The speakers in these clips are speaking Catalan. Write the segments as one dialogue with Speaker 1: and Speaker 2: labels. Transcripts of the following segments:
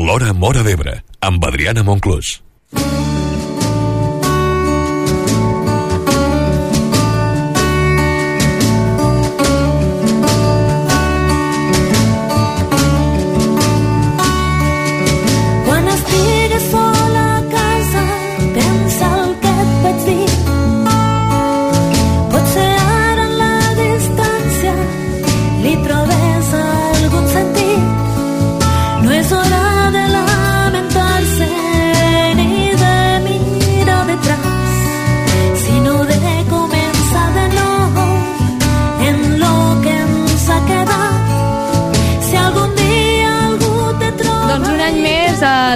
Speaker 1: L'Hora Móra d'Ebre, amb Adriana Monclús.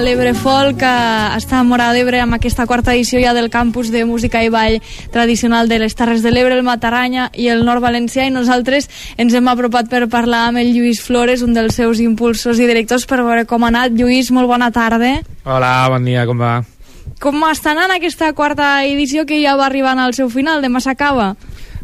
Speaker 2: L'Ebre Folk està a Móra d'Ebre amb aquesta quarta edició ja del campus de música i ball tradicional de les Terres de l'Ebre, el Matarranya i el Nord Valencià, i nosaltres ens hem apropat per parlar amb el Lluís Flores, un dels seus impulsors i directors, per veure com ha anat. Lluís, molt bona tarda.
Speaker 3: Hola, bon dia, com va?
Speaker 2: Com està anant aquesta quarta edició que ja va arribant al seu final, demà s'acaba?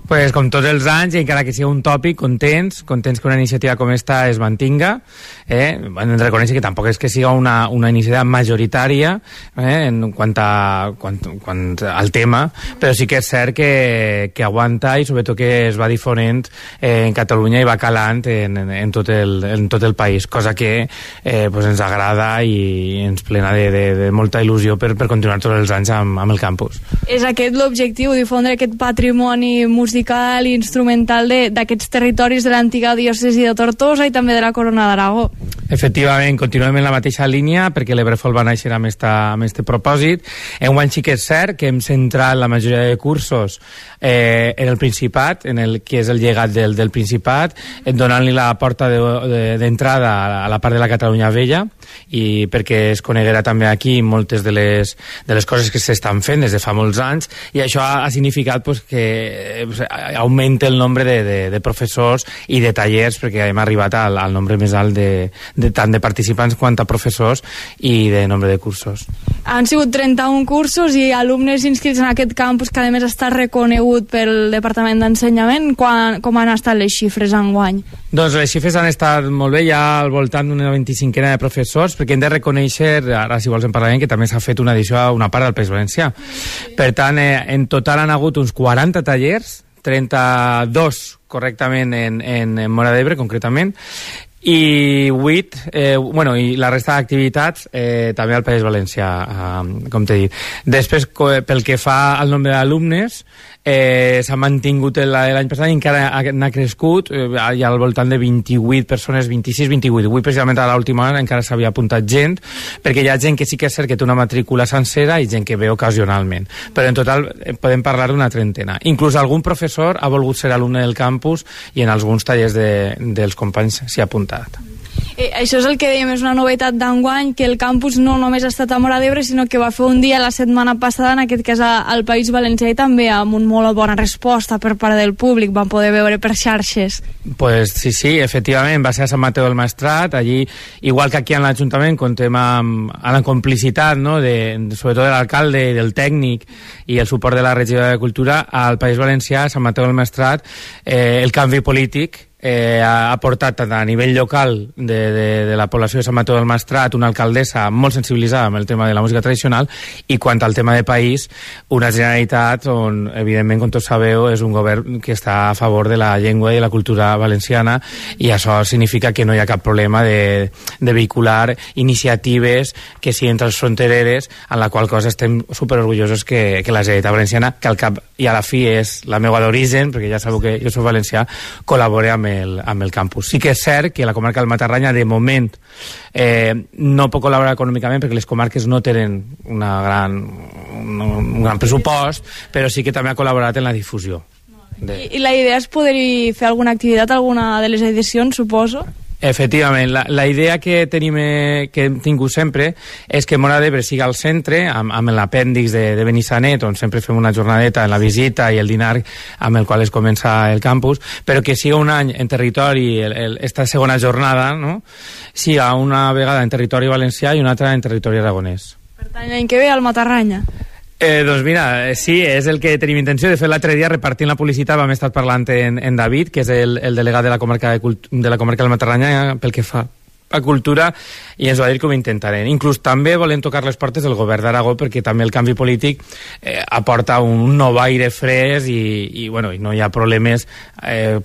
Speaker 3: Pues com tots els anys, i encara que sigui un tòpic, contents que una iniciativa com esta es mantinga. Hem de reconèixer que tampoc és que siga una iniciativa majoritària en quant al tema, però sí que és cert que aguanta i sobretot que es va difonent en Catalunya i va calant en tot el país, cosa que pues ens agrada i ens plena de molta il·lusió per continuar tots els anys amb el campus.
Speaker 2: És aquest l'objectiu, difondre aquest patrimoni musical i instrumental d'aquests territoris de l'antiga diòcesi de Tortosa i també de la Corona d'Aragó.
Speaker 3: Efectivament, continuem en la mateixa línia perquè l'Ebre Folk va néixer amb este propòsit. Enguany sí que és cert que hem centrat la majoria de cursos en el Principat, en el que és el llegat del Principat, donant-li la porta d'entrada a la part de la Catalunya Vella, i perquè es coneguera també aquí moltes de les coses que s'estan fent des de fa molts anys, i això ha significat pues, que augmenta el nombre de professors i de tallers, perquè hem arribat al nombre més alt tant de participants quant a professors i de nombre de cursos.
Speaker 2: Han sigut 31 cursos i alumnes inscrits en aquest campus, que a més està reconegut pel Departament d'Ensenyament. Com han estat les xifres enguany?
Speaker 3: Doncs les xifres han estat molt bé, ja al voltant d'una 25a de professors, perquè hem de reconèixer, ara si vols en parlarem, que també s'ha fet una edició a una part del País Valencià. Per tant, en total han hagut uns 40 tallers, 32 correctament en Móra d'Ebre, concretament, i 8, i la resta d'activitats també al País Valencià, com t'he dit. Després, pel que fa al nombre d'alumnes, s'ha mantingut l'any passat i encara n'ha crescut, hi ha al voltant de 28 persones, 26-28. Avui, precisament a l'última hora, encara s'havia apuntat gent, perquè hi ha gent que sí que és cert que té una matrícula sencera i gent que ve ocasionalment. Però en total podem parlar d'una trentena. Inclús algun professor ha volgut ser alumne del campus i en alguns tallers dels companys s'hi ha apuntat.
Speaker 2: Això és el que dèiem, és una novetat d'enguany, que el campus no només ha estat a Móra d'Ebre, sinó que va fer un dia la setmana passada, en aquest cas al País Valencià, i també amb una molt bona resposta per part del públic, van poder veure per xarxes.
Speaker 3: Pues sí, efectivament, va ser a Sant Mateu del Maestrat, allí, igual que aquí en l'Ajuntament, contem amb la complicitat, no?, sobretot de l'alcalde i del tècnic i el suport de la regidora de Cultura. Al País Valencià, a Sant Mateu del Maestrat, el canvi polític ha portat tant a nivell local de la població de Sant Mateu del Maestrat una alcaldessa molt sensibilitzada amb el tema de la música tradicional, i quant al tema de país, una Generalitat on, evidentment, com tots sabeu, és un govern que està a favor de la llengua i de la cultura valenciana, i això significa que no hi ha cap problema de vehicular iniciatives que siguin transfrontereres, en la qual cosa estem superorgullosos que la Generalitat Valenciana, que al cap i a la fi és la meva d'origen, perquè ja sabeu que jo soc valencià, col·labore amb el campus. Sí que és cert que la comarca del Matarranya de moment no pot col·laborar econòmicament perquè les comarques no tenen un gran pressupost, però sí que també ha col·laborat en la difusió.
Speaker 2: I la idea és poder-hi fer alguna activitat, alguna de les edicions, suposo?
Speaker 3: Efectivament, la idea que hem tingut sempre és que Móra d'Ebre siga al centre, amb l'apèndix de Benissanet, on sempre fem una jornadeta en la visita i el dinar amb el qual es comença el campus, però que siga un any en territori, esta segona jornada, no?, siga una vegada en territori valencià i una altra en territori aragonès.
Speaker 2: Per tant, l'any que ve al Matarranya.
Speaker 3: Doncs mira, sí, és el que tenim intenció. De fet, l'altre dia, repartint la publicitat, vam estar parlant en David, que és el delegat de la comarca del Matarranya, pel que fa a Cultura i ens va dir que ho intentarem. Inclús també volem tocar les portes del govern d'Aragó perquè també el canvi polític aporta un nou aire fresc i no hi ha problemes,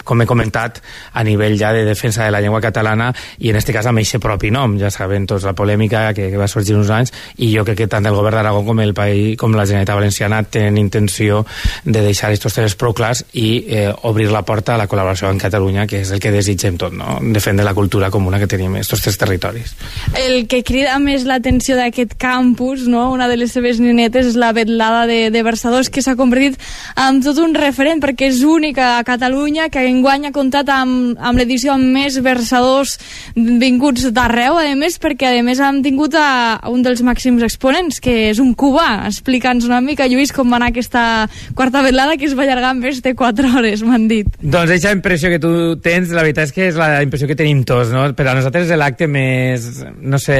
Speaker 3: com he comentat, a nivell ja de defensa de la llengua catalana i en este cas amb eixe propi nom. Ja saben tots la polèmica que va sorgir uns anys i jo crec que tant el govern d'Aragó com el país, com la Generalitat Valenciana tenen intenció de deixar aquests temes prou clars i obrir la porta a la col·laboració amb Catalunya, que és el que desitgem tot, no? Defendre la cultura comuna que tenim en aquests tres territoris.
Speaker 2: El que crida més l'atenció d'aquest campus, no? Una de les seves nenetes és la vetlada de versadors, que s'ha convertit en tot un referent perquè és única a Catalunya, que enguany ha comptat amb l'edició amb més versadors vinguts d'arreu, a més perquè a més han tingut a un dels màxims exponents, que és un cubà. Explica'ns una mica, Lluís, com va anar aquesta quarta vetlada, que es va allargar més de 4 hores, m'han dit.
Speaker 3: Doncs aquesta impressió que tu tens, la veritat és que és la impressió que tenim tots, no? Per a nosaltres és l'acte més... no sé,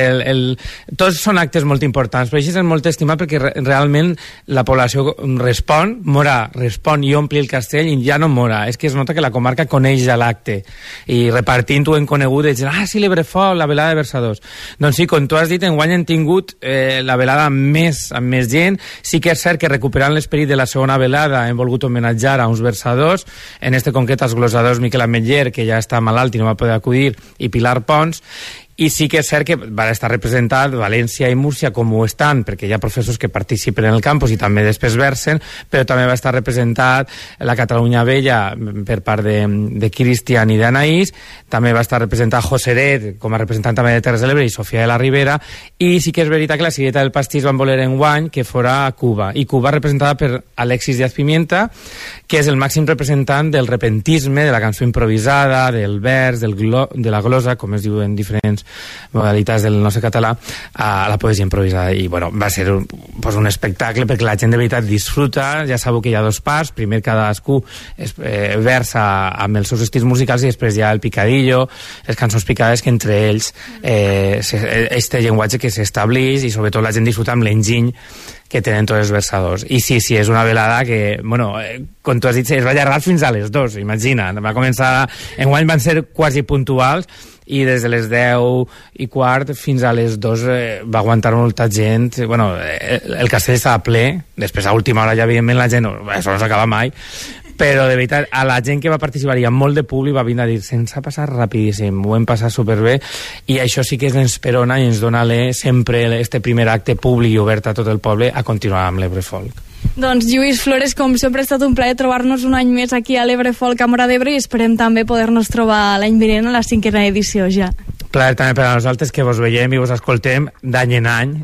Speaker 3: tots són actes molt importants, però això és molt estimat perquè realment la població respon i ompli el castell i ja no mora. És que es nota que la comarca coneix ja l'acte i repartint-ho en conegut i dient, sí, l'Ebrefol, la velada de versadors. Doncs sí, com tu has dit, enguany han tingut la velada amb més gent. Sí que és cert que recuperant l'esperit de la segona velada hem volgut homenatjar a uns versadors, en este concret als glosadors Miquel Ametller, que ja està malalt i no va poder acudir, i Pilar Pons. I sí que és cert que va estar representat València i Múrcia com ho estan, perquè hi ha professors que participen en el campus i també després versen, però també va estar representat la Catalunya Vella per part de Cristian i d'Anaís, també va estar representat Joseret com a representant també de Terres de l'Ebre i Sofia de la Ribera, i sí que és veritat que la Cireta del Pastís van voler enguany que fora a Cuba, i Cuba representada per Alexis Díaz Pimienta, que és el màxim representant del repentisme, de la cançó improvisada, del vers, de la glosa, com es diu en diferents modalitats del nostre català, a la poesia improvisada. I bueno, va ser un espectacle perquè la gent de veritat disfruta. Ja sabeu que hi ha 2 parts, primer cadascú versa amb els seus estils musicals i després hi ha el picadillo, les cançons picades, que entre ells este llenguatge que s'estableix i sobretot la gent disfruta amb l'enginy que tenen tots els versadors. I sí, és una velada que, com tu has dit, es va allargar fins a les 2, imagina. Va començar... Enguany van ser quasi puntuals i des de les 10:15 fins a les 2 va aguantar molta gent. El castell estava ple, després a última hora ja evidentment la gent, això no s'acaba mai, però de veritat a la gent que va participar hi ha molt de públic, va vindre a dir se'ns ha passat rapidíssim, ho hem passat superbé, i això sí que ens esperona i ens dona sempre este primer acte públic i obert a tot el poble a continuar amb l'Ebrefolk.
Speaker 2: Doncs Lluís Flores, com sempre ha estat un plaer trobar-nos un any més aquí a l'Ebrefolk a Móra d'Ebre i esperem també poder-nos trobar l'any vinent a la 5ª edició ja.
Speaker 3: Plaer també per a nosaltres que vos veiem i vos escoltem d'any en any.